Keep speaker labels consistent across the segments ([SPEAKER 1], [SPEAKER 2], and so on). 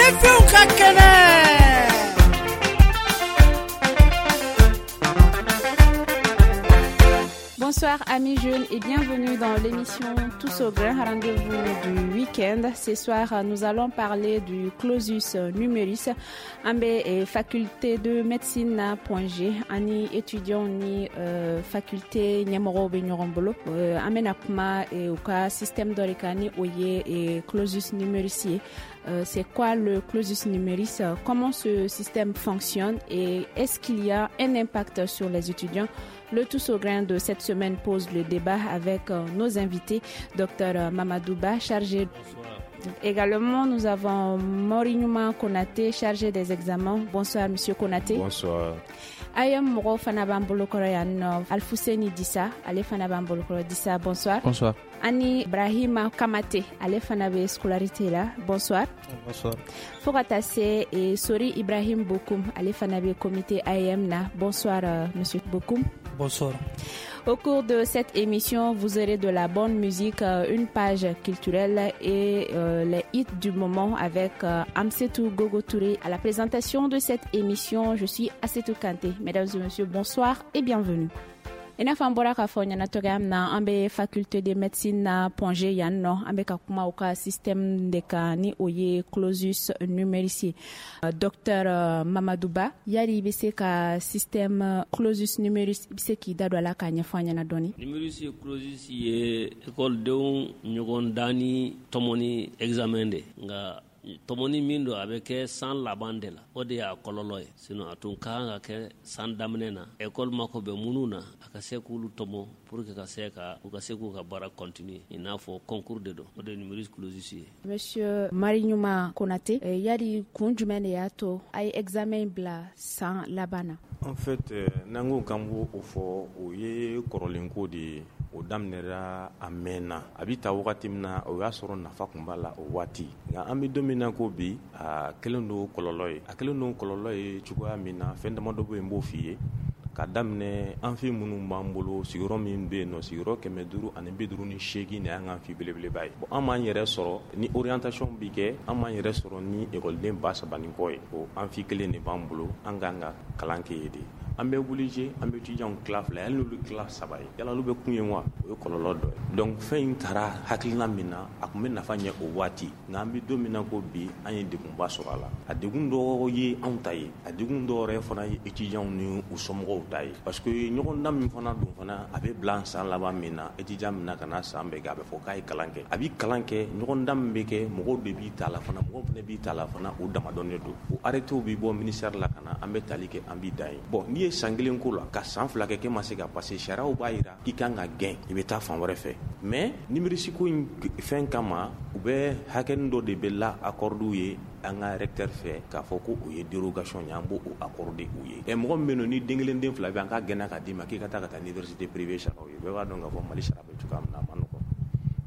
[SPEAKER 1] Sifinw ka kɛnɛ.
[SPEAKER 2] Bonsoir amis jeunes et bienvenue dans l'émission Tous au grain, rendez-vous du week-end. Ce soir, nous allons parler du clausus numerus. An bɛ faculté de médecine na Point G ani étudiants ni faculté ɲɛmɔgɔw bɛ ɲɔgɔn bolo. An bɛna kuma u ka système dɔ de kan, ni o ye clausus numerus ye. C'est quoi le clausus numerus? Comment ce système fonctionne et est-ce qu'il y a un impact sur les étudiants? Le Tous au grain de cette semaine pose le débat avec nos invités, Dr Mamadou Ba, chargé.
[SPEAKER 3] Bonsoir.
[SPEAKER 2] Également, nous avons Morignuma Konaté, chargé des examens. Bonsoir, Monsieur Konaté.
[SPEAKER 4] Bonsoir.
[SPEAKER 2] AEEM mɔgɔw fana b'an bolokɔrɔ yan nɔ, Alfuseni Disa, ale fana b'an bolokɔrɔ. Disa, bonsoir.
[SPEAKER 5] Bonsoir.
[SPEAKER 2] Ani Brahima Kamate, ale fana bɛ scolarité la. Bonsoir.
[SPEAKER 5] Bonsoir.
[SPEAKER 2] Fo ka taa se Sori Ibrahim Bokoum, ale fana bɛ comité AEEM na. Bonsoir, Monsieur Bokoum.
[SPEAKER 3] Bonsoir.
[SPEAKER 2] Au cours de cette émission, vous aurez de la bonne musique, une page culturelle et les hits du moment avec Amsetou Gogo Touré. À la présentation de cette émission, je suis Assetou Kanté. Mesdames et messieurs, bonsoir et bienvenue. I n'a fɔ an bɔra k'a fɔ ɲɛna cogoya min na, an bɛ faculté de médecine na Point G yan nɔ. An bɛ ka kuma u ka système de kan, ni o ye clausus numerus ye. Docteur Mamadou Ba, yali i bɛ se ka système clausus numerus, i bɛ se k'i da don a la k'a ɲɛfɔ an ɲɛna dɔɔni?
[SPEAKER 3] Numerus clausus ye ekɔlidenw ɲɔgɔn dan ni tɔmɔni examen de, nka tɔmɔni min don, a bɛ kɛ san laban de la. O de y'a kɔlɔlɔ ye. Sinon a tun ka kan ka kɛ san daminɛ na. Ekɔli mako bɛ minnu na, a ka se k'olu tɔmɔ pour que ka se ka u ka se k'u ka baara continuer, i n'a fɔ concours de don. O de ye numerus clausus ye.
[SPEAKER 2] Monsieur Mariɲuma Konate, yali kun jumɛn de y'a to a ye examen bila san laban na?
[SPEAKER 4] En fait, n'an ko k'an b'o fɔ, o ye kɔrɔlenko de ye. O daminɛra a mɛnna. A bɛ ta wagati min na, o y'a sɔrɔ nafa tun b'a la o waati, nka an bɛ don min na ko bi, a kɛlen don kɔlɔlɔ ye. A kɛlen don kɔlɔlɔ ye cogoya min na, fɛn damadɔ bɛ yen n b'o f'i ye. Ka daminɛ amphi minnu b'an bolo, sigiyɔrɔ min bɛ yen nɔ, sigiyɔrɔ 558 de y'an ka amphi belebeleba ye. Bon, an b'an yɛrɛ sɔrɔ ni orientation bi kɛ, an b'an yɛrɛ sɔrɔ ni ekɔliden 3000 ni kɔ ye. O amphi kelen de b'an bolo, an k'an ka kalan kɛ yen de. An bɛ obligé an bɛ étudiants tila fila, hali n'olu tila saba ye, yala olu bɛ kun ye wa? O ye kɔlɔlɔ dɔ ye. Donc fɛn in taara hakilina min na, a tun bɛ nafa ɲɛ o waati, nka an bɛ don min na ko bi, an ye degunba sɔrɔ a la. A degun dɔ ye anw ta ye, a degun dɔ yɛrɛ fana ye étudiants ni u somɔgɔw ta ye, parce que ɲɔgɔndan min fana don fana, a bɛ bila san laban min na, étudiant min na ka na san bɛɛ kɛ, a bɛ fɔ k'a ye kalan kɛ, a bɛ kalan kɛ. Ɲɔgɔndan min bɛ kɛ, mɔgɔw de b'i ta la fana, mɔgɔw fana b'i ta la fana, o damadɔnnen don. O arrêtés bɛ bɔ ministère la ka na, an bɛ tali kɛ, an b'i dan ye. Bon, n'i ye san kelen ko la, ka san 2 kɛ, k'e ma se ka passer, sariyaw b'a jira k'i kan ka gɛn, i bɛ taa fan wɛrɛ fɛ. Mais numerus ko in fɛn kama, u bɛ hakɛnin dɔ de bɛ la accorder ye an ka recteur fɛ, k'a fɔ ko o ye dérogation ye, an b'o accorder u ye. Ɛ, mɔgɔ min bɛ yen nɔ ni den kelen, den fila bɛ, an k'a gɛnna k'a d'i ma k'i ka taa ka taa université privée sara o ye, bɛɛ b'a dɔn k'a fɔ Mali sara bɛ cogoya min na, a ma nɔgɔn.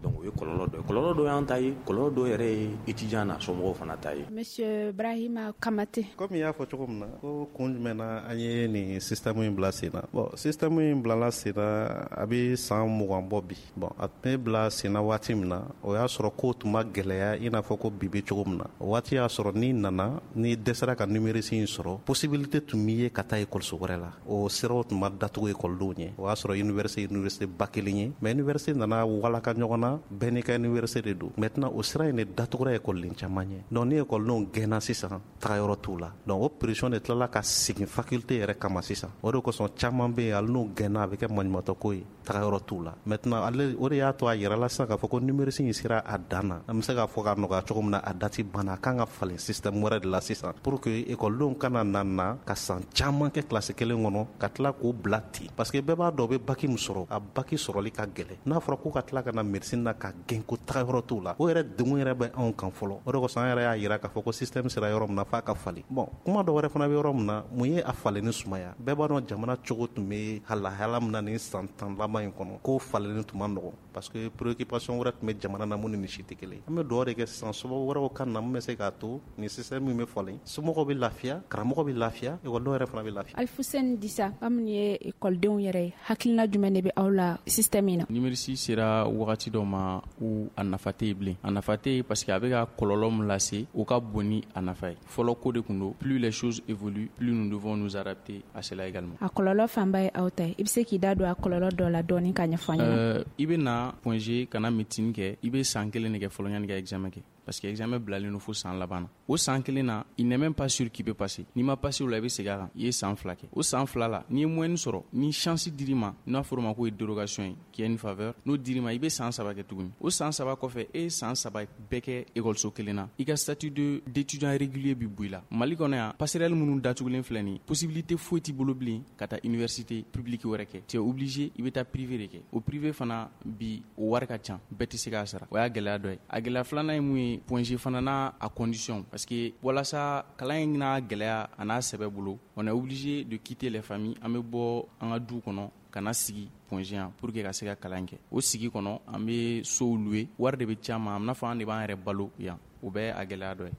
[SPEAKER 4] Donc o ye kɔlɔlɔ dɔ ye. Kɔlɔlɔ dɔ y'an ta ye, kɔlɔlɔ dɔ yɛrɛ ye étudiant n'a somɔgɔw fana ta ye.
[SPEAKER 2] Monsieur Brahima Kamate.
[SPEAKER 5] Komi i y'a fɔ cogo min na, ko kun jumɛn na an ye nin système in bila sen na? Bon, système in bilala sen na, a bɛ san 20 bɔ bi. Bon, a tun bɛ bila sen na waati min na, o y'a sɔrɔ ko tun ma gɛlɛya i n'a fɔ ko bi bɛ cogo min na. O waati y'a sɔrɔ n'i nana, n'i dɛsɛra ka numerus in sɔrɔ, possibilité tun b'i ye ka taa ekɔliso wɛrɛ la. O siraw tun ma datugu ekɔlidenw ɲɛ. O y'a sɔrɔ université ba kelen ye, mais université nana walaka ɲɔgɔn na, bɛɛ n'i ka université de don. Maintenant, o sira in de datugura ekɔliden caman ɲɛ. Donc ni ekɔlidenw gɛnna sisan, tagayɔrɔ t'u la. Donc o pression de tilala ka segin faculté yɛrɛ kama sisan. O de kosɔn caman bɛ yen, hali n'u gɛnna, a bɛ kɛ maɲumatɔ ko ye, tagayɔrɔ t'u la. Maintenant, ale o de y'a to a yɛrɛ la sisan k'a fɔ ko numerus in sera a dan na. An bɛ se k'a fɔ k'a nɔgɔya cogo min na, a date banna, a kan ka falen système wɛrɛ de la sisan, pour que ekɔlidenw kana na ka san caman kɛ kilasi kelen kɔnɔ, ka tila k'o bila ten, parce que bɛɛ b'a dɔn u bɛ bac min sɔrɔ, a bac sɔrɔli ka gɛlɛn. N'a fɔra ko ka tila ka na médecine na ka gɛn ko tagayɔrɔ t'u la, o yɛrɛ degun yɛrɛ bɛ anw kan fɔlɔ. O de kosɔn an yɛrɛ y'a yira k'a fɔ ko système sera yɔrɔ min na, f'a ka falen. Bon, kuma dɔ wɛrɛ fana bɛ yɔrɔ min na, mun ye a falenni sumaya? Bɛɛ b'a dɔn jamana cogo tun bɛ lahala min na nin san 10 laban in kɔnɔ, ko falenni tun ma nɔgɔn, parce que préoccupation wɛrɛ tun bɛ jamana na mun ni nin si tɛ kelen. An bɛ dugawu de kɛ sisan, sababu wɛrɛw ka na mun bɛ se k'a to nin système min bɛ falen, somɔgɔw bɛ lafiya, karamɔgɔ bɛ lafiya, ekɔlidenw yɛrɛ fana bɛ lafiya.
[SPEAKER 2] Alifusɛni Disa, aw minnu ye ekɔlidenw yɛrɛ ye, hakilina jumɛn de bɛ aw la système in na?
[SPEAKER 6] Numerus sera wagati dɔ ma.
[SPEAKER 1] ma ou a nafa tɛ yen bilen. A nafa tɛ yen parce que a bɛ ka kɔlɔlɔ min lase, o ka bon ni a nafa ye. Fɔlɔ ko de tun don, plus les choses évoluent, plus nous devons nous adapter à cela également.
[SPEAKER 2] A kɔlɔlɔ fanba ye aw ta ye. I bɛ se k'i da don a kɔlɔlɔ dɔ la dɔɔni ka ɲɛfɔ an ɲɛna?
[SPEAKER 1] I bɛ na Point G ka na médecine kɛ, i bɛ san kelen de kɛ fɔlɔ yanni ka examen kɛ. Parce que examen bilalen don fo san laban na. O san kelen na, il n'est même pas sûr qu'il peut passer. N'i ma passer o la, i bɛ segin a kan. I ye san 2 kɛ. O san 2 la, n'i ye moyenne sɔrɔ, ni chance dir'i ma, n'a fɔra o ma k'o ye dérogation ye, qui est une faveur, n'o dir'i ma, i bɛ san 3 kɛ tuguni. O san 3 kɔfɛ, e ye san 3 bɛɛ kɛ école kelen na. I ka statut d'étudiant régulier bi bɔ i la. Mali kɔnɔ yan, passerelle minnu datugulen filɛ nin ye, possibilité foyi t'i bolo bilen ka taa université publique wɛrɛ kɛ. Tu es obligé, i bɛ taa privé de kɛ. O privé fana bi, o wari ka ca, bɛɛ tɛ se k'a sara. O y'a gɛlɛya dɔ ye. A gɛlɛya filanan ye mun ye? Point G fana n'a a condition, parce que walasa kalan in n'a gɛlɛya a n'a sɛbɛ bolo, on est obligé de quitter les familles. An bɛ bɔ an ka du kɔnɔ ka na sigi Point G yan pour que ka se ka kalan kɛ. O sigi kɔnɔ, an bɛ sow louer, wari de bɛ ci an ma, a bɛ n'a fɔ an de b'an yɛrɛ balo yan. O bɛɛ a gɛlɛya dɔ ye.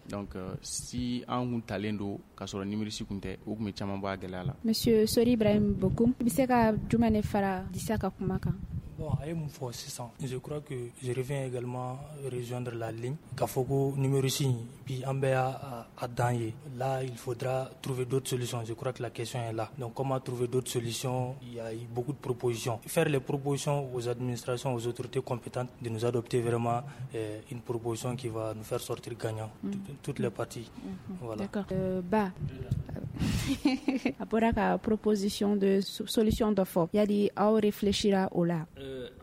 [SPEAKER 1] Donc si an kun talen don k'a sɔrɔ numerus kun tɛ, o kun bɛ caman bɔ a gɛlɛya la.
[SPEAKER 2] Monsieur Sori Ibrahim Bokoum, i bɛ se ka jumɛn de fara Disa ka kuma kan?
[SPEAKER 6] Bon, a ye mun fɔ sisan, je crois que je reviens également rejoindre la ligne k'a fɔ ko numerus bi an bɛɛ y'a a dan ye. Là, il faudra trouver d'autres solutions. Je crois que la question est là. Donc comment trouver d'autres solutions? Il y a eu beaucoup de propositions. Faire les propositions aux administrations, aux autorités compétentes de nous adopter vraiment une proposition qui va nous faire sortir gagnant, toutes les parties. Voilà.
[SPEAKER 2] D'accord. Ba a bɔra ka proposition de solution dɔ fɔ, yali aw réfléchira o la?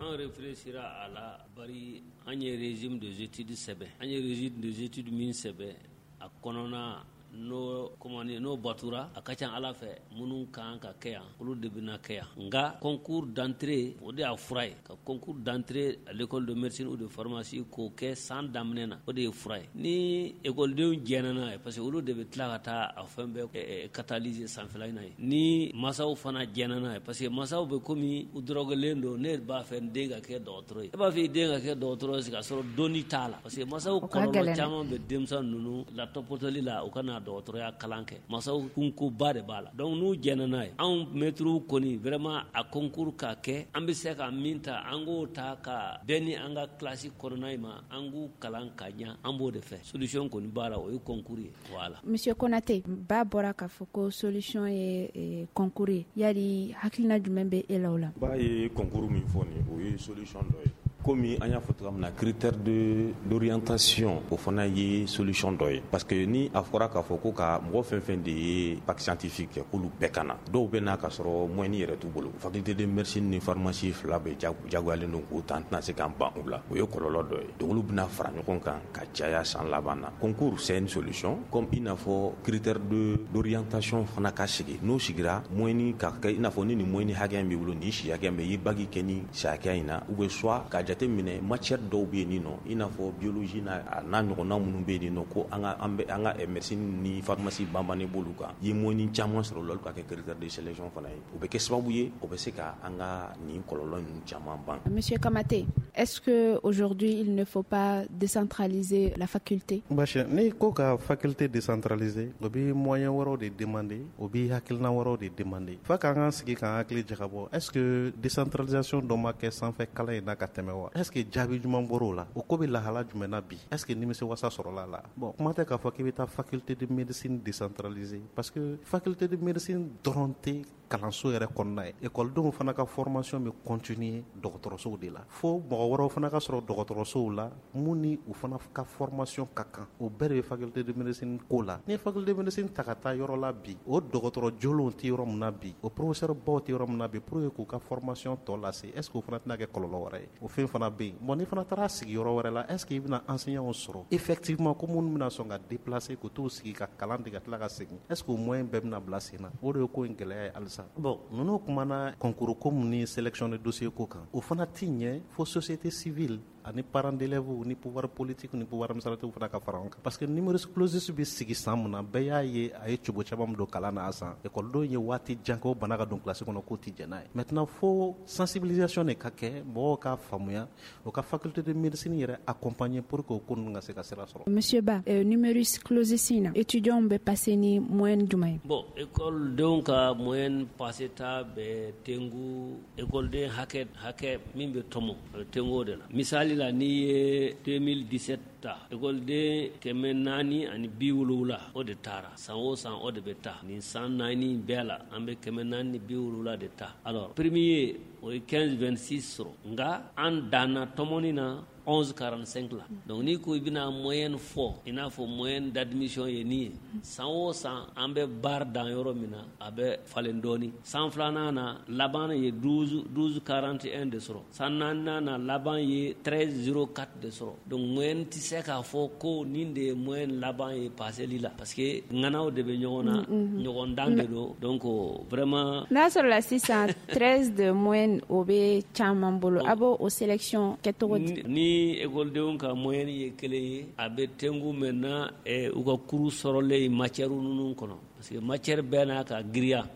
[SPEAKER 3] An réfléchira a la, bari an ye régime des études sɛbɛn. An ye régime des études min sɛbɛn, a kɔnɔna n'o comment dire, n'o batura, a ka ca Ala fɛ, minnu kan ka kɛ yan, olu de bɛna kɛ yan. Nka concours d'entrée, o de y'a fura ye. Ka concours d'entrée à l'école de médecine ou de pharmacie k'o kɛ san daminɛ na, o de ye fura ye. Ni ekɔlidenw jɛnna n'a ye, parce que olu de bɛ tila ka taa a fɛn bɛɛ catalyser sanfɛla in na ye. Ni masaw fana jɛnna n'a ye, parce que masaw bɛ komi u dɔrɔgɔlen don, ne b'a fɛ n den ka kɛ dɔgɔtɔrɔ ye. E b'a fɛ i den ka kɛ dɔgɔtɔrɔ ye k'a sɔrɔ dɔnni t'a la, parce que masaw kɔlɔlɔ caman bɛ denmisɛn ninnu la tɔpɔtɔli la, u ka na dɔgɔtɔrɔya kalan kɛ. Masaw kunkoba de b'a la. Donc n'u jɛnna n'a ye, anw mɛtiriw kɔni vraiment a concours ka kɛ, an bɛ se ka min ta, an k'o ta ka bɛn ni an ka classe kɔnɔna in ma, an k'u kalan ka ɲa, an b'o de fɛ. Solution kɔni b'a la, o ye concours ye. Voilà.
[SPEAKER 2] Monsieur Konate, ba bɔra k'a fɔ ko solution ye concours ye, yali hakilina jumɛn bɛ e la o la?
[SPEAKER 4] Ba ye concours min fɔ nin, o ye solution dɔ ye. Komi an y'a fɔ cogoya min na, critère de d'orientation, o fana ye solution dɔ ye, parce que ni a fɔra k'a fɔ ko ka mɔgɔ fɛn fɛn de ye bac scientifique kɛ, k'olu bɛɛ ka na, dɔw bɛ na k'a sɔrɔ moyenne yɛrɛ t'u bolo. Faculté de médecine ni pharmacie fila bɛɛ jagoyalen don k'o ta, an tɛna se k'an ban u la. O ye kɔlɔlɔ dɔ ye. Donc olu bɛna fara ɲɔgɔn kan ka caya san laban na. Concours, c'est une solution, comme i n'a fɔ critère de d'orientation fana ka sigi. N'o sigira, moyenne ka kɛ i n'a fɔ ni nin moyenne hakɛ in b'i bolo, nin si hakɛ in bɛ, i ye bac kɛ ni si hakɛ in na, ou bien soit ka jateminɛ matière dɔw bɛ yen nin nɔ, i n'a fɔ biologie n'a n'a ɲɔgɔnna minnu bɛ yen nɔ, ko an ka an bɛ an ka médecine ni pharmacie banbannen b'olu kan, i ye moyenne caman sɔrɔ o la, olu ka kɛ critère de sélection fana ye. O bɛ kɛ sababu ye, o bɛ se ka an ka nin kɔlɔlɔ ninnu caman ban.
[SPEAKER 2] Monsieur Kamate, est-ce que aujourd'hui il ne faut pas décentraliser la faculté?
[SPEAKER 5] Basi ni ko ka faculté décentraliser, o bɛ moyen wɛrɛw de demander, o bɛ hakilina wɛrɛw de demander. F'a k'an ka sigi k'an hakili jagabɔ, est-ce que décentralisation dɔ ma kɛ sanfɛ kalan in na ka tɛmɛ wa? Est-ce que jaabi jumɛn bɔr'o la? O ko bɛ lahala jumɛn na bi? Est-ce que nimisi wasa sɔrɔla la? Bon, kuma tɛ k'a fɔ k'i bɛ taa faculté de médecine décentraliser, parce que faculté de médecine dɔrɔn tɛ kalanso yɛrɛ kɔnɔna ye. Ekɔlidenw fana ka formation bɛ continuer dɔgɔtɔrɔsow de la, fo mɔgɔ wɛrɛw fana ka sɔrɔ dɔgɔtɔrɔsow la mun ni u fana ka formation ka kan. O bɛɛ de bɛ faculté de médecine ko la. Ni ye faculté de médecine ta ka taa yɔrɔ la bi, o dɔgɔtɔrɔ jolenw tɛ yɔrɔ min na bi, o professeur baw tɛ yɔrɔ min na bi, pour que k'u ka formation tɔ lase, est ce que o fana tɛna kɛ kɔlɔlɔ wɛrɛ ye? O fɛn fana bɛ yen. Bon, n'i fana taara sigi yɔrɔ wɛrɛ la, est ce que i bɛna enseignants sɔrɔ effectivement ko minnu bɛna sɔn ka déplacer k'u t'u sigi ka kalan de ka tila ka segin? Est ce que o moyen bɛɛ bɛna bila sen na? O de ye ko in gɛlɛya ye halisa. Bon, ninnu kumana concours ko mun ni sélection de dossier ko kan, o fana ti ɲɛ fo société civile ani parents d'élèves ni pouvoir politique ni pouvoir administratif fana ka fara an kan, parce que numerus clausus bɛ sigi san mun na, bɛɛ y'a ye a ye cogo caman min don kalan na. A san ekɔlidenw ye waati jan kɛ o bana ka don kilasi kɔnɔ k'o tɛ jɛn n'a ye. Maintenant, fo sensibilisation de ka kɛ, mɔgɔw k'a faamuya, o ka faculté de médecine yɛrɛ accompagner pour que o ko ninnu ka se ka sira sɔrɔ.
[SPEAKER 2] Monsieur Ba, numerus clausus in na, étudiants bɛ passer ni moyenne jumɛn ye?
[SPEAKER 3] Bon, ekɔlidenw ka moyenne passé ta bɛ tengu ekɔliden hakɛ min bɛ tɔmɔ, a bɛ tengu o de la. Misali la, n'i ye 2017 ta, ekɔliden 470, o de taara. San o san, o de bɛ ta. Nin san 4 bɛɛ la, an bɛ 470 de ta. Alors, premier, o ye 15,26 sɔrɔ, nka an danna tɔmɔni na 11,45 la. Donc n'i ko i bɛna moyenne fɔ, i n'a fɔ moyenne d'admission ye nin ye, san o san an bɛ baara dan yɔrɔ min na, a bɛ falen dɔɔni. San filanan na, laban ye 12 12,41 de sɔrɔ. San naaninan na, laban ye 13,04 de sɔrɔ. Donc moyenne tɛ se k'a fɔ ko nin de ye moyenne laban ye paseli la, parce que ŋanaw de bɛ ɲɔgɔn na, ɲɔgɔn dan de don. Donc vraiment.
[SPEAKER 2] N'a sɔrɔla sisan 13 de moyenne, o bɛ caman bolo, a b'o o sélection kɛcogo di?
[SPEAKER 3] Ni ekɔlidenw ka moyenne ye kelen ye, a bɛ tengu maintenant u ka kuru sɔrɔlen matière ninnu kɔnɔ, parce que matière bɛɛ n'a ka giriya,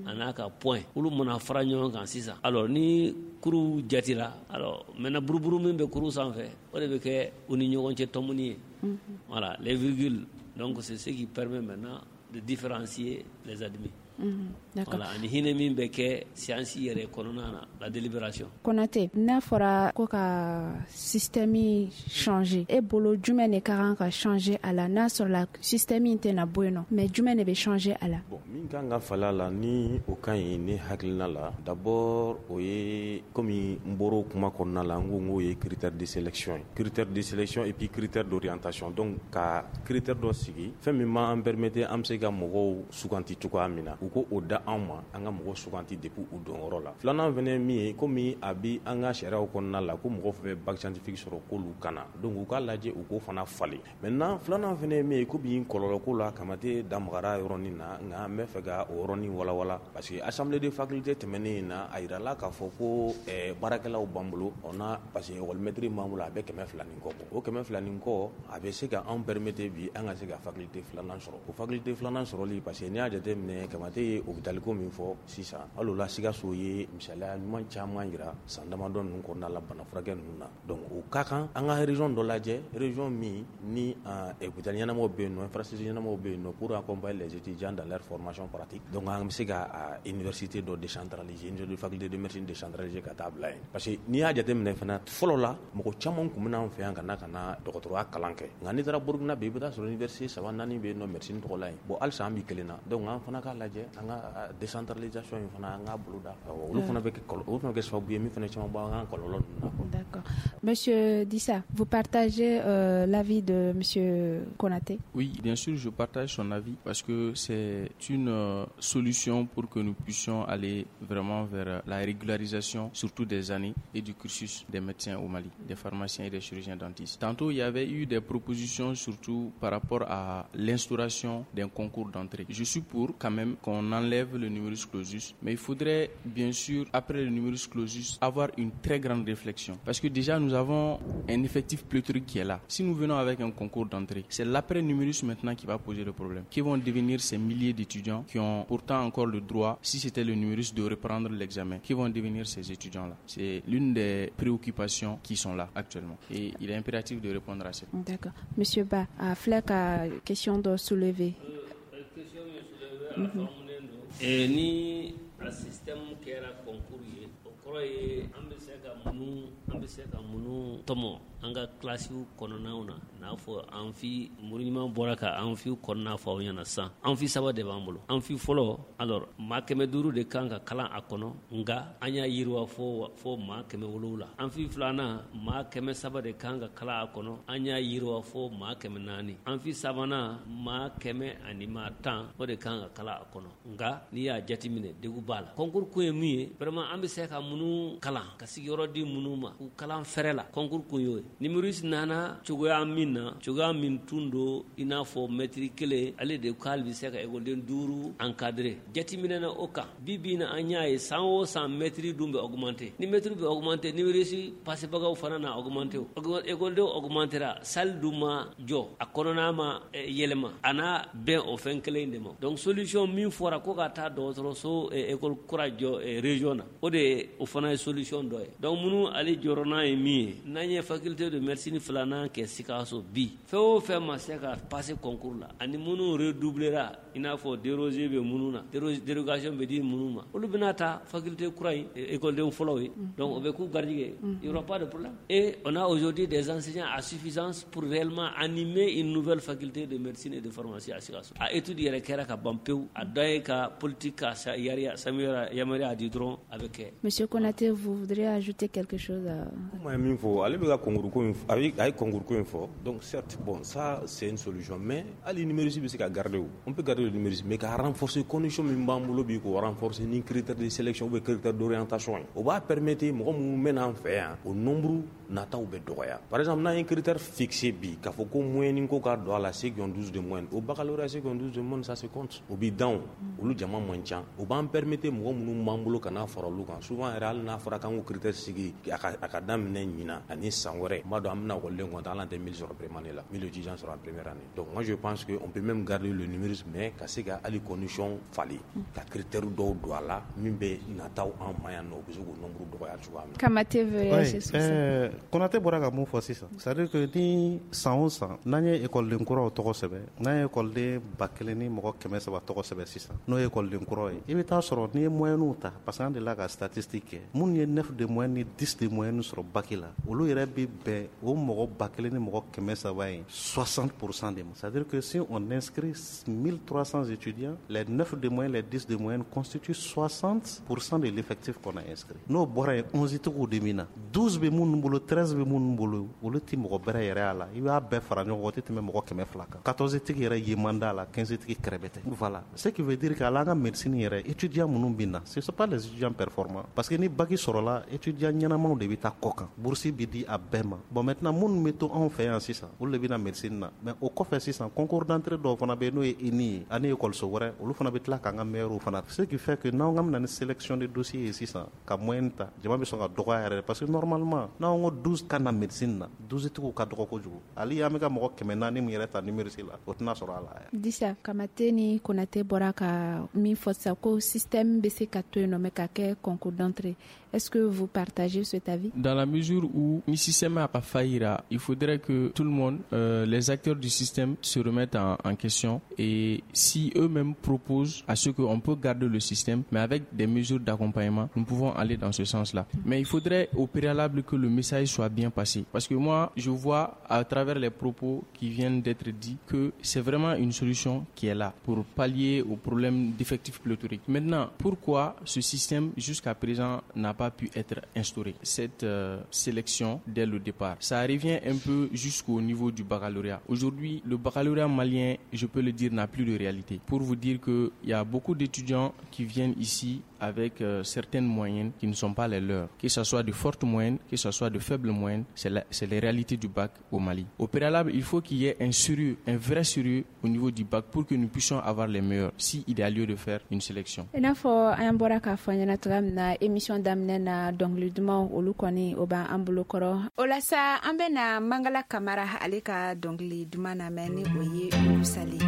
[SPEAKER 3] a n'a ka point. Olu mana fara ɲɔgɔn kan sisan, alors ni kuru jatira, alors maintenant buruburu min bɛ kuru sanfɛ, o de bɛ kɛ u ni ɲɔgɔn cɛ tɔmɔni ye. Voilà, les virgules. Donc c'est ce qui permet maintenant de différencier les admis. Voilà, ani hinɛ min bɛ kɛ science yɛrɛ kɔnɔna na, la délibération.
[SPEAKER 2] Konate, n'a fɔra ko ka système changer, e bolo jumɛn de ka kan ka changer a la, n'a sɔrɔla système in tɛna bɔ yen nɔ, mais jumɛn de bɛ changer a la?
[SPEAKER 4] Bon, min kan ka falen a la, ni o ka ɲi ne hakilina la, d'abord o ye, komi n bɔra o kuma kɔnɔna la, n ko n k'o ye critère de sélection ye, critère de sélection et puis critère d'orientation. Donc ka critère dɔ sigi, fɛn min b'an permettre an bɛ se ka mɔgɔw suganti cogoya min na, u ko o da anw ma, an ka mɔgɔ suganti depuis u donyɔrɔ la. Filanan fɛnɛ ye min ye, komi a bi an ka sariyaw kɔnɔna la ko mɔgɔ fɛn fɛn bac scientifique sɔrɔ, k'olu kana, donc u k'a lajɛ u k'o fana falen. Maintenant, filanan fɛnɛ ye min ye, komi kɔlɔlɔ ko la, Kamate da magara yɔrɔnin na, nka n bɛ fɛ ka o yɔrɔnin walawala, parce que assemblée de faculté tɛmɛnen in na, a yirala k'a fɔ ko baarakɛlaw b'an bolo, on a, parce que école maître b'an bolo, a bɛ 200 ni kɔ bɔ. O 200 ni kɔ, a bɛ se ka anw permettre bi an ka se ka faculté filanan sɔrɔ. O faculté filanan sɔrɔli, parce que n'i y'a jateminɛ, Kamate ye hôpital ko min fɔ sisan, hali o la Sikaso ye misaliya ɲuman caman yira san damadɔ ninnu kɔnɔna la bana furakɛ ninnu na. Donc o ka kan an ka région dɔ lajɛ, région min ni hôpital ɲɛnamaw bɛ yen nɔ, infrastructure ɲɛnamaw bɛ yen nɔ pour accompagner les étudiants dans leur formation pratique. Donc an bɛ se ka université dɔ décentraliser, université de faculté de médecine décentraliser ka taa bila yen, parce que n'i y'a jateminɛ fana, fɔlɔ la mɔgɔ caman tun bɛ n'an fɛ yan ka na dɔgɔtɔrɔya kalan kɛ, nka n'i taara Burukina bi, i bɛ taa sɔrɔ université saba naani bɛ yen nɔ médecine tɔgɔ la yen. Bon, halisa an bɛ kelen na. Donc an fana k'a lajɛ an ka décentralisation in fana, an k'a boloda, olu fana bɛ kɛ, olu fana bɛ kɛ sababu ye min fana caman bɔ an ka kɔlɔlɔ ninnu na.
[SPEAKER 2] D'accord. Monsieur Dissa, vous partagez l'avis de Monsieur Konaté?
[SPEAKER 1] Oui, bien sûr, je partage son avis parce que c'est une solution pour que nous puissions aller vraiment vers la régularisation, surtout des années et du cursus des médecins au Mali, des pharmaciens et des chirurgiens dentistes. Tantôt, il y avait eu des propositions, surtout par rapport à l'instauration d'un concours d'entrée. Je suis pour quand même qu'on enlève le numerus clausus, mais il faudrait bien sûr, après le numerus clausus, avoir une très grande réflexion. Parce que déjà, nous avons un effectif pléthorique qui est là. Si nous venons avec un concours d'entrée, c'est l'après numerus maintenant qui va poser le problème. Qui vont devenir ces milliers d'étudiants qui ont pourtant encore le droit, si c'était le numerus, de reprendre l'examen? Qui vont devenir ces étudiants-là? C'est l'une des préoccupations qui sont là actuellement. Et il est impératif de répondre à ça.
[SPEAKER 2] D'accord. Monsieur Ba, a filɛ ka question dɔ soulever.
[SPEAKER 3] Question min soulever, a faamunen don. Ni a système kɛra concours ye, o kɔrɔ ye an bɛ se ka minnu tɔmɔ an ka kilasiw kɔnɔnaw na, n'a fɔ amphi, muru ɲuman bɔra ka amphi kɔnɔna fɔ aw ɲɛna sisan. Amphi saba de b'an bolo. Amphi fɔlɔ, alors maa 500 de kan ka kalan a kɔnɔ, nka an y'a yiriwa fo maa 700. Amphi filanan, maa 300 de kan ka kalan a kɔnɔ, an y'a yiriwa fo maa 400. Amphi sabanan, maa 110, o de kan ka kalan a kɔnɔ. Nka n'i y'a jateminɛ, degun b'a la. Concours kun ye min ye, vraiment an bɛ se ka minnu kalan, ka sigiyɔrɔ di minnu ma k'u kalan fɛrɛ la, concours kun y'o ye. Numerus nana cogoya min na, cogoya min tun don, i n'a fɔ mɛtiri kelen ale de k'ale bɛ se ka ekɔliden 5 encadrer. Jateminɛ na o kan, bi bi in na an y'a ye san o san mɛtiri dun bɛ augmenter. Ni mɛtiri bɛ augmenter, numerus passebagaw fana na augmenter. Ekɔlidenw augmentera, salle dun ma jɔ, a kɔnɔna ma yɛlɛma, a n'a bɛn o fɛn kelen de ma. Donc solution min fɔra ko ka taa dɔgɔtɔrɔso école kura jɔ région na, o de o fana ye solution dɔ ye. Donc minnu ale jɔrɔna ye min ye, n'an ye faculté de médecine filanan kɛ Sikaso bi, fɛn o fɛn ma se ka passer concours la, ani minnu redoublera, i n'a fɔ dérogé bɛ minnu na, dérogation bɛ di minnu ma, olu bɛna ta faculté kura in écoleden fɔlɔw ye. Donc o bɛ k'u garijɛgɛ, il y aura pas de problème. Et on a aujourd'hui des enseignants à suffisance pour réellement animer une nouvelle faculté de médecine et de pharmacie à Sikaso. A étude yɛrɛ kɛra ka ban pewu, a dɔ ye ka politique ka yamaruya di dɔrɔn a bɛ kɛ.
[SPEAKER 2] Monsieur Konaté, vous voudriez ajouter quelque chose?
[SPEAKER 4] Kuma ye min fɔ, ale bɛ ka concours ko in, a ye concours ko in fɔ. Donc certes, bon, ça c'est une solution, mais hali numerus bɛ se ka garder o. On peut garder le numerus, mais ka renforcer condition min b'an bolo bi, k'o renforcer ni critère de sélection ou bien critère d'orientation ye. O b'a permettre mɔgɔ minnu bɛ n'an fɛ yan, o nombre nataw bɛ dɔgɔya. Par exemple, n'an ye critère fixé bi, k'a fɔ ko moyenne ko ka don a la, ceux qui ont 12 de moyenne, au baccalauréat, ceux qui ont 12 de moyenne, ça se compte. O bi dan o, olu jama man ca. O b'an permettre mɔgɔ minnu b'an bolo ka n'a fara olu kan. Souvent yɛrɛ, hali n'a fɔra k'an k'o critère sigi, a ka daminɛ ɲinan ani san wɛrɛ, n b'a dɔn an bɛna ekɔliden compter, hali an tɛ 1000 sɔrɔ première année la, 1000 étudiants sɔrɔ en première année. Donc moi je pense que on peut même garder le numerus, mais ka se ka hali condition falen, ka critère dɔw don a la min bɛ nataw an ma yan nɔ, u bɛ se k'o nombre dɔgɔya cogoya min na.
[SPEAKER 2] Kamate veut réagir sur ça.
[SPEAKER 5] Konate bɔra ka mun fɔ sisan, c'est à dire que ni san o san n'an ye ekɔliden kuraw tɔgɔ sɛbɛn, n'an ye ekɔliden 1300 tɔgɔ sɛbɛn sisan, n'o ye ekɔliden kuraw ye, i bɛ taa sɔrɔ n'i ye moyenw ta, parce que an delila ka statistique kɛ, minnu ye 9 de moyenne ni 10 de moyenne sɔrɔ bac la, olu yɛrɛ bɛ bɛn o mɔgɔ 1300 ye 60% de ma. C'est à dire que si on inscrit 1300 étudiants, les 9 de moyenne, les 10 de moyenne constituent 60% de l'effectif qu'on a inscrit. N'o bɔra yen, 11 tigiw de min na, 12 bɛ minnu bolo, 13 bɛ minnu bolo, olu tɛ mɔgɔ bɛrɛ yɛrɛ a la. I b'a bɛɛ fara ɲɔgɔn kan, o tɛ tɛmɛ mɔgɔ 200 kan. 14 tigi yɛrɛ ye man d'a la, 15 tigi kɛrɛbɛ tɛ. Voilà, ce qui veut dire que hali an ka médecine yɛrɛ, étudiant minnu bɛ na, ce sont pas les étudiants performants, parce que ni bac sɔrɔla, étudiant ɲɛnamaw de bɛ taa kɔ kan, bourse bɛ di a bɛɛ ma. Bon, maintenant minnu bɛ to anw fɛ yan sisan, olu de bɛ na médecine na. Mais o kɔfɛ sisan, concours d'entrée dɔw fana bɛ yen, n'o ye ENI ye ani école wɛrɛ, olu fana bɛ tila k'an ka meilleurs fana. Ce qui fait que n'anw ka bɛna ni sélection de dossier ye sisan, ka moyenne ta, jama bɛ sɔn ka dɔgɔya yɛrɛ, parce que normalement n'anw ko 12 ka na médecine na, 12 tigiw ka dɔgɔ kojugu. Hali an bɛ ka mɔgɔ 400 min yɛrɛ ta numerus la, o tɛna sɔrɔ a la.
[SPEAKER 2] Disa, Kamate ni Konate bɔra ka min fɔ sisan ko système bɛ se ka to yen nɔ, mais ka kɛ concours d'entrée. Est-ce que vous partagez cet avis?
[SPEAKER 1] Dans la mesure où ni système a pas faillira, il faudrait que tout le monde, les acteurs du système se remettent en question, et si eux-mêmes proposent à ce qu'on peut garder le système, mais avec des mesures d'accompagnement, nous pouvons aller dans ce sens-là. Mais il faudrait au préalable que le message soit bien passé. Parce que moi, je vois à travers les propos qui viennent d'être dits que c'est vraiment une solution qui est là pour pallier au problème d'effectifs pléthoriques. Maintenant, pourquoi ce système jusqu'à présent n'a pas pu être instauré, cette sélection dès le départ? Ça revient un peu jusqu'au niveau du baccalauréat. Aujourd'hui, le baccalauréat malien, je peux le dire, n'a plus de réalité. Pour vous dire qu'il y a beaucoup d'étudiants qui viennent ici avec certaines moyennes qui ne sont pas les leurs. Que ce soit de fortes moyennes, que ce soit de faibles moyennes, c'est les réalités du bac au Mali. Au préalable, il faut qu'il y ait un sérieux, un vrai sérieux au niveau du bac pour que nous puissions avoir les meilleurs, s'il y a lieu de faire une sélection.
[SPEAKER 2] I n'a fɔ an bɔra k'a fɔ ɲɛna cogoya min na émission daminɛ na, dɔnkili dumanw olu kɔni o b'an bolo kɔrɔ. O la sa, an bɛna Mangala Kamara ale ka dɔnkili duman lamɛn, ni o ye Sali.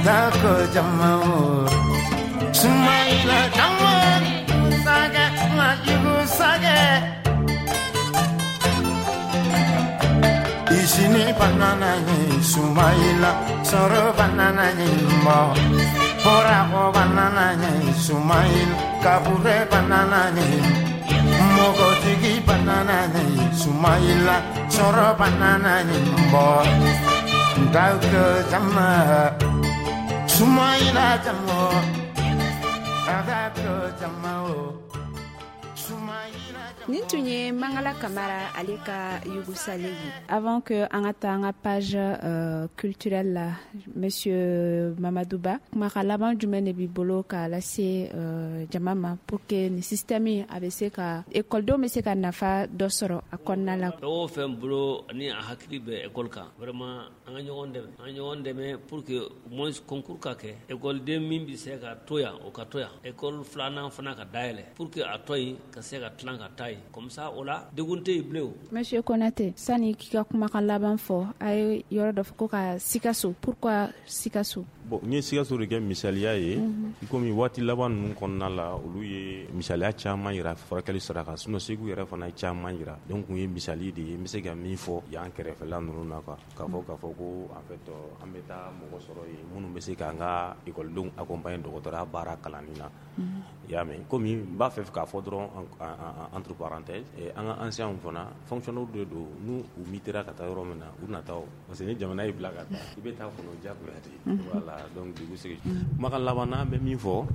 [SPEAKER 7] Dako jama Sumaila jama Saga majugu saga Isini banana ni Sumaila Soro banana ni mo Borako banana ni Sumaila Kabure banana ni Mogotigi banana ni Sumaila Soro banana ni mo Dako jama Sumaila jama Dako jama Sumaila
[SPEAKER 2] Nin tun ye Mangala Kamara ale ka Yugusale ye. Avant que an ka taa an ka page culturelle la, monsieur Mamadou Ba, kumakan laban jumɛn de b'i bolo k'a lase jama ma pour que nin système in a bɛ se ka ekɔlidenw bɛ se ka nafa dɔ sɔrɔ a kɔnɔna la?
[SPEAKER 3] Fɛn o fɛn bolo ni a hakili bɛ école kan, vraiment an ka ɲɔgɔn dɛmɛ, an ka ɲɔgɔn dɛmɛ pour que au moins concours ka kɛ, ekɔliden min bɛ se ka to yan o ka to yan, école filanan fana ka dayɛlɛ pour que a tɔ in ka se ka tilan ka taa yen, comme ça o la degun tɛ yen bilen o.
[SPEAKER 2] Monsieur Konate, sani k'i ka kumakan laban fɔ, a ye yɔrɔ dɔ fɔ ko ka Sikaso. Pourquoi Sikaso?
[SPEAKER 4] Bon, n ye Sikaso de kɛ misaliya ye, komi waati laban ninnu kɔnɔna la, olu ye misaliya caman yira furakɛli sira kan, sinon Segu yɛrɛ fana ye caman yira. Donc kun ye misali de ye, n bɛ se ka min fɔ yan kɛrɛfɛla ninnu na quoi, k'a fɔ ko en fait an bɛ taa mɔgɔ sɔrɔ yen minnu bɛ se k'an ka ekɔlidenw accompagner dɔgɔtɔrɔya baara kalanni na. I y'a mɛn, komi n b'a fɛ k'a fɔ dɔrɔn entre parenthèses, an ka anciens fana fonctionnaires de don, n'u u mutera ka taa yɔrɔ min na u na taa o, parce que ni jamana y'i bila ka taa i bɛ taa kɔnɔ diyagoya de. Voilà, donc du coup c'est kumakan laban na, an bɛ min fɔ,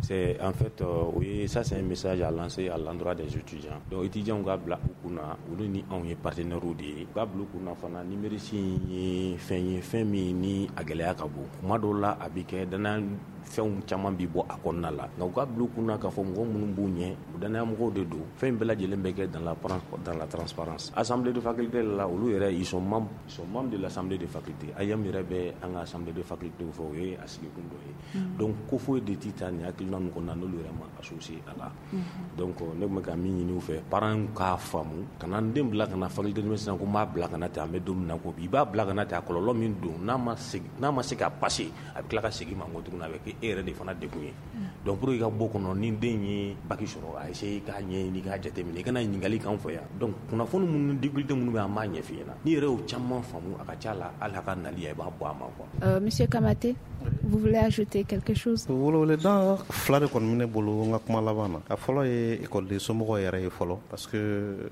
[SPEAKER 4] c'est en fait oui, ça c'est un message à lancer à l'endroit des étudiants. Donc étudiants ka bila u kunna, olu ni anw ye partenaires de ye. U ka bila u kunna fana numerisi ye fɛn ye, fɛn min ni a gɛlɛya ka bon. Kuma dɔw la a bɛ kɛ danaya fɛnw caman bi bɔ a kɔnɔna la, nka u ka bila u kunna k'a fɔ mɔgɔ minnu b'u ɲɛ, u danaya mɔgɔw de don. Fɛn bɛɛ lajɛlen bɛ kɛ dans la transparence. Assemblée de faculté la, olu yɛrɛ ils sont membres de l'assemblée de faculté. AEEM yɛrɛ bɛ an ka assemblée de faculté fɛ, o ye a sigikun dɔ ye. Donc ko foyi de ti taa nin hakilina ninnu kɔnɔna n'olu yɛrɛ ma associé a la. Donc ne tun bɛ ka min ɲini u fɛ, parents k'a faamu, kana n den bila ka na faculté de médecine ko n b'a bila ka na ten, an bɛ don min na ko bi, i b'a bila ka na ten, a kɔlɔlɔ min don, n'a ma se ka passer, a bɛ tila ka segin ma ko tuguni, a bɛ kɛ e yɛrɛ de fana degun ye. Donc pour que i ka bɔ kɔnɔ, ni den ye bac sɔrɔ, a essayer k'a ɲɛɲini, k'a jateminɛ, i kana ɲininkali k'an fɛ yan. Donc kunnafoni minnu difficulté minnu bɛ an b'a ɲɛf'i ɲɛna, n'i yɛrɛ y'o caman faamu, a ka ca la hali a ka nali i b'a bɔ a ma quoi.
[SPEAKER 2] Monsieur Kamate, vous voulez ajouter quelque chose?
[SPEAKER 5] Weleweledan fila de kɔni bɛ ne bolo n ka kuma laban na. A fɔlɔ ye ekɔliden somɔgɔw yɛrɛ ye fɔlɔ, parce que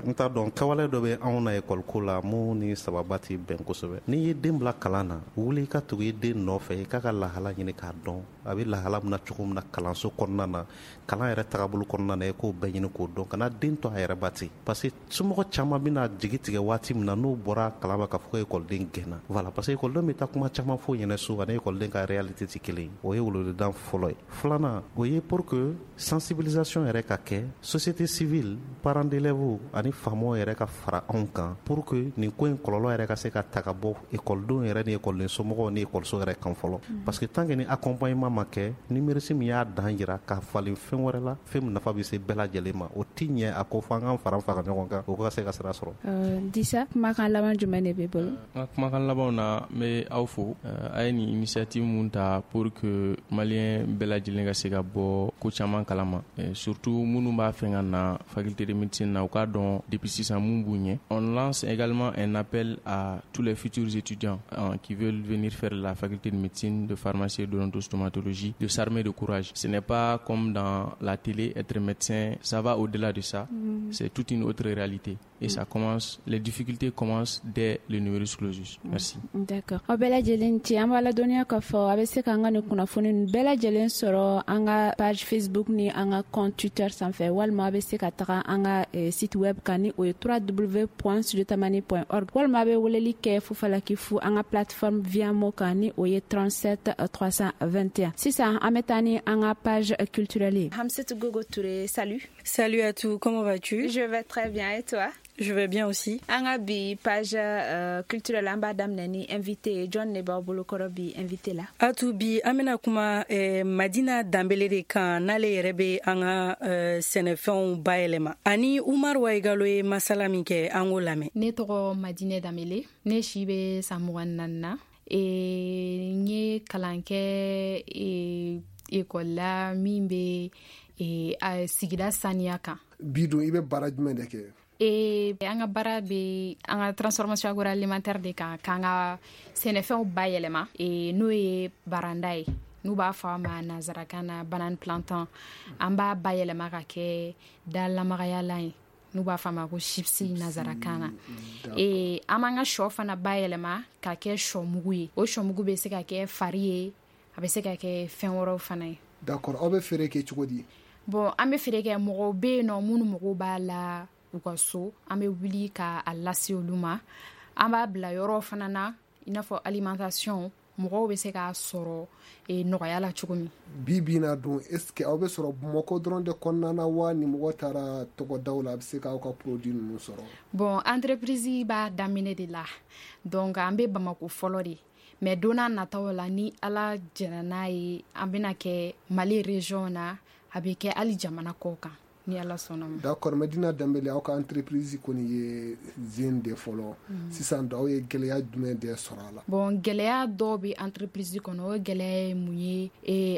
[SPEAKER 5] n t'a dɔn kɛwale dɔ bɛ anw na ekɔli ko la mun ni sababa tɛ bɛn kosɛbɛ. N'i ye den bila kalan na, wuli i ka tugu i den nɔfɛ, i k'a ka lahala ɲini k'a dɔn a bɛ lahala min na cogo min na kalanso kɔnɔna na, kalan yɛrɛ tagabolo kɔnɔna na, i k'o bɛɛ ɲini k'o dɔn, kana den to a yɛrɛ ba ten, parce que somɔgɔ caman bɛna jigi tigɛ waati min na n'o bɔra kalan ma k'a fɔ ko ekɔliden gɛnna. Voilà, parce que ekɔliden bɛ taa kuma caman fɔ ɲɛna so, ani ekɔliden ka réalité tɛ kelen ye. O ye weleweledan fɔlɔ ye. Filanan, o ye pour que sensibilisation yɛrɛ ka kɛ, société civile, parents d'élèves ani faamaw yɛrɛ ka fara anw kan pour que nin ko in kɔlɔlɔ yɛrɛ ka se ka ta ka bɔ ekɔlidenw yɛrɛ ni ekɔliden somɔgɔw ni ekɔliso yɛrɛ kan fɔlɔ. Parce que tant que ni accompagnement ma kɛ, numerisi min y'a dan jira k'a falen fɛn wɛrɛ la, fɛn min nafa bɛ se bɛɛ lajɛlen ma, o ti ɲɛ a ko fo an k'an fara ɲɔgɔn kan, o ka se ka sira sɔrɔ.
[SPEAKER 2] Disa, kumakan laban jumɛn de b'i bolo?
[SPEAKER 1] N ka kumakan labanw na, n bɛ aw fo, a ye nin initiative mun ta pour que malien bɛɛ lajɛlen ka se ka bɔ ko caman kalama, surtout minnu b'a fɛ ka na faculté de médecine na, u k'a dɔn depuis sisan mun b'u ɲɛ. On lance également un appel à tous les futurs étudiants qui veulent venir faire la faculté de médecine, de pharmacie et d'odontostomatologie, de s'armer de courage. Ce n'est pas comme dans la télé, être médecin, ça va au-delà de ça. C'est toute une autre réalité. Et ça commence, les difficultés commencent dès le numerus clausus. Merci.
[SPEAKER 2] D'accord. Aw bɛɛ lajɛlen ci, an b'a ladɔnniya k'a fɔ a bɛ se k'an ka nin kunnafoni ninnu bɛɛ lajɛlen sɔrɔ an ka page Facebook ni an ka compte Twitter sanfɛ, walima a bɛ se ka taga an ka site web kan ni o ye www.studiotamani.org, walima a bɛ weleli kɛ Fufalaki fu an ka plateforme Viamo kan ni o ye 37 321. Sisan an bɛ taa ni an ka page culturelle ye. Hamsetou Gogo Touré, salut.
[SPEAKER 8] Salut à tous, comment vas-tu?
[SPEAKER 2] Je vais très bien, et toi?
[SPEAKER 8] Je vais bien aussi.
[SPEAKER 2] An ka bi page culturelle, an b'a daminɛ ni invité. Jɔn de b'aw bolo kɔrɔ bi invité la?
[SPEAKER 8] Atu, bi an bɛna kuma Madina Danbele de kan, n'ale yɛrɛ bɛ an ka sɛnɛfɛnw bayɛlɛma, ani Umar Waigalo ye masala min kɛ, an k'o lamɛn.
[SPEAKER 9] Ne tɔgɔ Madina Danbele, ne si bɛ san 24 na.
[SPEAKER 2] N ye kalan kɛ ekɔli la min bɛ sigida saniya kan.
[SPEAKER 9] Bi dun, i bɛ baara jumɛn de kɛ?
[SPEAKER 2] An ka baara bɛ an ka transformation agroalimentaire de kan, k'an ka sɛnɛfɛnw bayɛlɛma, n'o ye baranda ye, n'u b'a fɔ a ma nanzarakan na banane plantain. An b'a bayɛlɛma ka kɛ dalamagayalan ye, n'u b'a fɔ a ma ko chips nanzarakan na. An b'an ka sɔ fana bayɛlɛma ka kɛ sɔ mugu ye. O sɔ mugu bɛ se ka kɛ fari ye, a bɛ se ka kɛ fɛn wɛrɛw fana ye.
[SPEAKER 9] D'accord, aw bɛ feere kɛ cogo di?
[SPEAKER 2] Bon, an bɛ feere kɛ, mɔgɔw bɛ yen nɔ minnu mago b'a la u ka so, an bɛ wuli ka a lase olu ma. An b'a bila yɔrɔ fana na, i n'a fɔ alimentation, mɔgɔw bɛ se k'a sɔrɔ nɔgɔya la cogo min.
[SPEAKER 9] Bi bi na dun, est ce que aw bɛ sɔrɔ Bamakɔ dɔrɔn de kɔnɔna na wa, ni mɔgɔ taara tɔgɔdaw la, a bɛ se k'aw ka produit ninnu sɔrɔ?
[SPEAKER 2] Bon, entreprise b'a daminɛ de la, donc an bɛ Bamakɔ fɔlɔ de, mais don n'a nataw la, ni Ala jɛnna n'a ye, an bɛna kɛ Mali région na, a bɛ kɛ hali jamana kɔ kan, ni Ala sɔnna ma.
[SPEAKER 9] D'accord, Medina Danbele, aw ka entreprise kɔni ye zen de fɔlɔ. Sisan dun, aw ye gɛlɛya jumɛn de sɔrɔ a la?
[SPEAKER 2] Bon, gɛlɛya dɔw bɛ entreprise kɔnɔ. O gɛlɛya ye mun ye?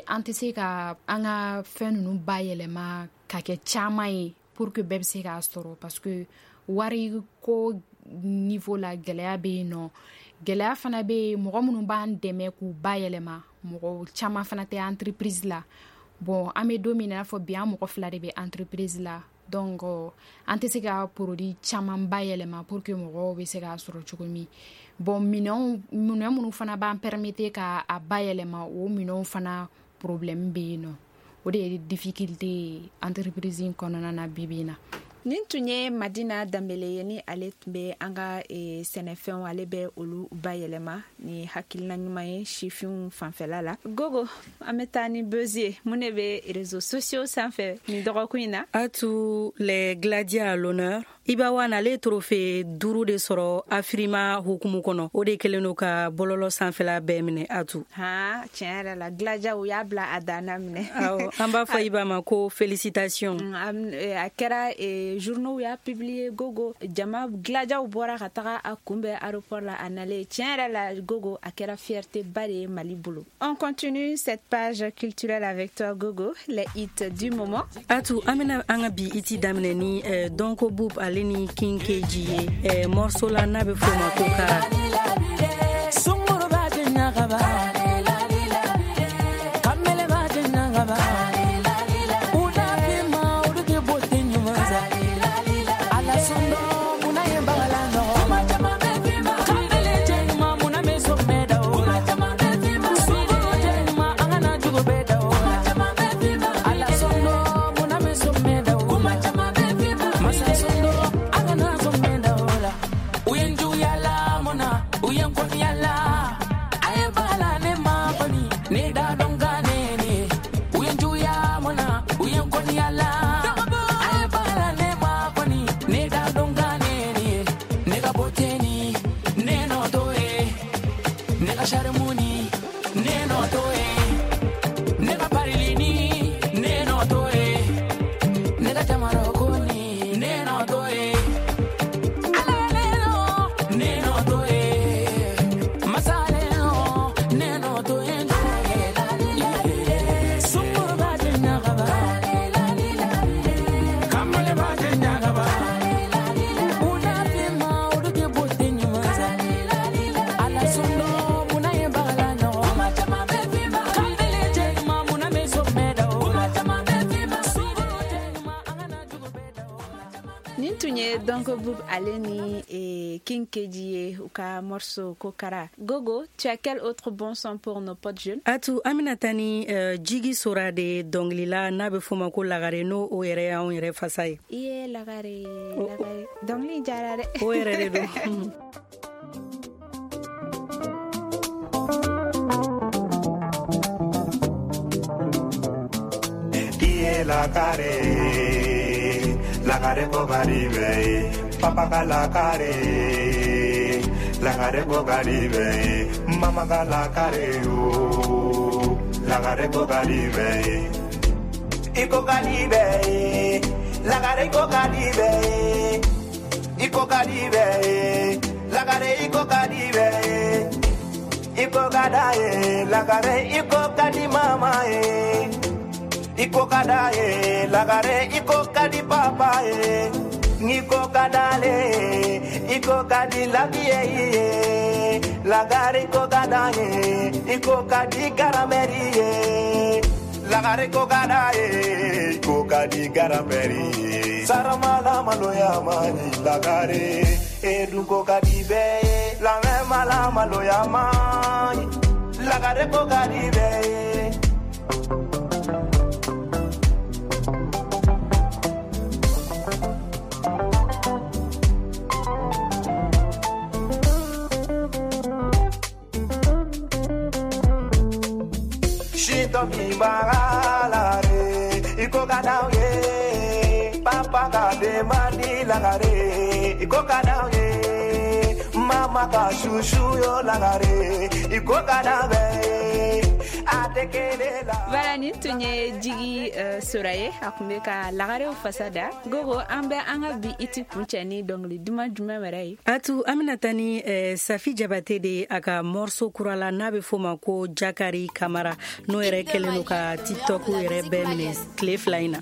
[SPEAKER 2] An tɛ se ka an ka fɛn ninnu bayɛlɛma ka kɛ caman ye pour que bɛɛ bɛ se k'a sɔrɔ, parce que wari ko niveau la, gɛlɛya bɛ yen nɔ. Gɛlɛya fana bɛ yen, mɔgɔ minnu b'an dɛmɛ k'u bayɛlɛma, mɔgɔ caman fana tɛ entreprise la. Bon, an bɛ don min na, i n'a fɔ bi, an mɔgɔ fila de bɛ entreprise la, donc an tɛ se ka produit caman bayɛlɛma pour que mɔgɔw bɛ se k'a sɔrɔ cogo min. Bon, minɛnw, minɛn minnu fana b'an permettre ka a bayɛlɛma, o minɛnw fana problème bɛ yen nɔ. O de ye difficulté ye entreprise in kɔnɔna na bi bi in na.
[SPEAKER 10] Nin tun ye Madina Danbele ye, ni ale tun bɛ an ka sɛnɛfɛnw, ale bɛ olu bayɛlɛma ni hakilina ɲuman ye sifinw fanfɛla la. Gogo, an bɛ taa ni buzz ye. Mun de bɛ réseaux sociaux sanfɛ nin dɔgɔkun in na?
[SPEAKER 8] Atu, les gladiateurs à l'honneur. Iba One, ale trophée 5 de sɔrɔ Afrima hukumu kɔnɔ. O de kɛlen don ka bɔlɔlɔ sanfɛla bɛɛ minɛ, Atu.
[SPEAKER 10] Han, tiɲɛ yɛrɛ la, Gladia u y'a bila a danna minɛ.
[SPEAKER 8] Awɔ, an b'a fɔ Iba ma ko félicitation.
[SPEAKER 10] A kɛra journaux y'a publié. Gogo, jama Gladiaw bɔra ka taga a kunbɛn aéroport la a nalen. Tiɲɛ yɛrɛ la, Gogo, a kɛra fierté ba de ye Mali bolo. On continue cette page culturelle avec toi, Gogo, les hits du moment.
[SPEAKER 8] Atu, an bɛna an ka bi hit daminɛ ni Donko Boub ale ni King KG ye morceau la n'a bɛ f'o ma ko Kara.
[SPEAKER 11] Sunguru b'a ɲagaba, kamele b'a ɲagaba, udafima uduke bote ɲuman sa, ala sundo muna ye bagala nɔgɔ, kamele cɛ ɲuman muna bɛ sɔmɛ da o la, sunguru cɛ ɲuman an kana jugu bɛɛ da o la, ala sundo muna bɛ sɔmɛ da o la, masa sundo an kana sɔmɛ da o la, u ye n juguya la mun na, u ye n kɔniya la. Ne da dɔn ka ne ni u ye n juguya mun na, u ye n kɔniya la, a ye baara ne ma kɔni, ne da dɔn ka ne ni ne ka beauté ni ne nɔ t'o ye, ne ka charme ni ne nɔ t'o ye, ne ka parili ni ne nɔ t'o ye, ne ka jamarako ni ne nɔ t'o ye, ala ne nɔ ne nɔ t'o ye, masa ne nɔ ne nɔ t'o ye. Sunguru b'a ɲagaba, kamale b'a ɲagaba, udafima uduke bote ɲuman sa, ala sundo muna ye bagala nɔgɔ, kamele cɛ ɲuman muna bɛ sɔmɛ da o la, sunguru cɛ ɲuman an kana jugu bɛɛ da o la.
[SPEAKER 10] Nin tun ye Donko Boub ale ni King KG ye, u ka morceau ko Kara. Gogo, tu as quel autre bon son pour nos potes jeunes?
[SPEAKER 8] Atu, an bɛna taa ni Jigi Sora de dɔnkilila n'a bɛ f'o ma ko Lagare, n'o o yɛrɛ y'anw yɛrɛ fasa ye.
[SPEAKER 10] I ye Lagare, Lagare. Dɔnkili diyara dɛ.
[SPEAKER 8] O yɛrɛ de don.
[SPEAKER 7] Iye lagare, lagare ko garibe, papa ka lagare, lagare ko garibe, mama ka lagare o, lagare ko garibe, iko garibe, lagare ko garibe, iko garibe, lagare iko garibe, Iko kada ye lagare iko kadi mama ye iko kada ye lagare iko kadi papa ye niko kadale iko kadi labie ye lagare iko kada ye iko kadi garameri ye lagare iko kada ye iko kadi garameri ye saramala maloya mani lagare eduko kadi be la mala maloya mani lagare ko kadi be. Mi bagalare iko kada ye papa ka de mandi lagare iko kada ye mama ka shushu yo lagare iko kada be.
[SPEAKER 10] Voilà, nin tun ye Jigi Sora ye a tun bɛ ka lagarew fasa da. Gogo, an bɛ an ka bi iti kuncɛ ni dɔnkili duman jumɛn wɛrɛ ye?
[SPEAKER 8] Atu, an bɛna taa ni Safi Jabate de a ka morceau kura la n'a bɛ f'o ma ko Jakari Kamara, n'o yɛrɛ kɛlen don ka TikTok yɛrɛ bɛɛ minɛ tile 2 in na.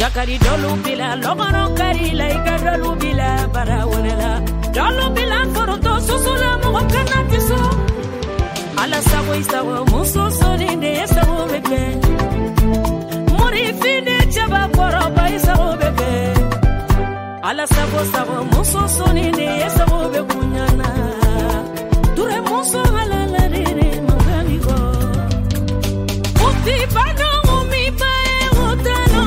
[SPEAKER 11] Jakari dolu bila lɔgɔrɔ kari la i ka dolu bila bara wɛrɛ la dolu bila foroto soso la mɔgɔ kana ti so ala sago i sago muso sɔni de ye sago bɛ kɛ morifin de cɛba kɔrɔba i sago bɛ kɛ ala sago sago muso sɔni de ye sago bɛ kunya na ture muso halala de de mankan mi kɔ uti bano mi ba ye o tano.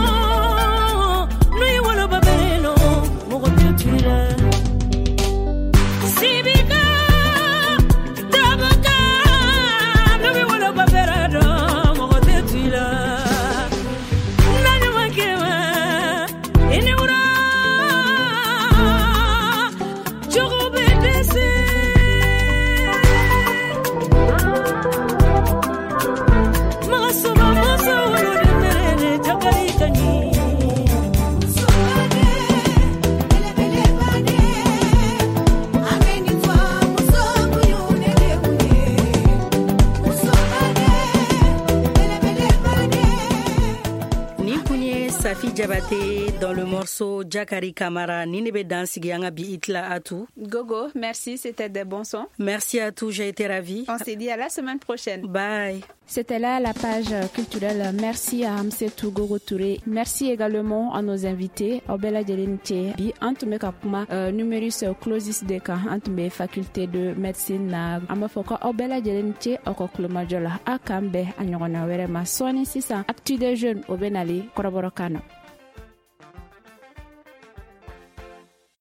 [SPEAKER 8] Jabate dans le morceau Jakari Kamara. Ni ne bɛ dan sigi an ka bi i tila Atou.
[SPEAKER 10] Gogo, merci, c'était des bons sons.
[SPEAKER 8] Merci à tous, j'ai été ravie.
[SPEAKER 10] On se dit à la semaine prochaine.
[SPEAKER 8] Bye.
[SPEAKER 2] C'était là la page culturelle. Merci à Amsetou Gogo Touré. Merci également à nos invités. Aw bɛɛ lajɛlen ni ce. Bi an tun bɛ ka kuma numerus clausus de kan, an tun bɛ faculté de médecine na. An b'a fɔ ko aw bɛɛ lajɛlen ni ce aw ka kulomajɔ la. Aw k'an bɛn a ɲɔgɔnna wɛrɛ ma. Sɔɔni sisan, Actu des jeunes o bɛ nalen kɔrɔbɔrɔkan na.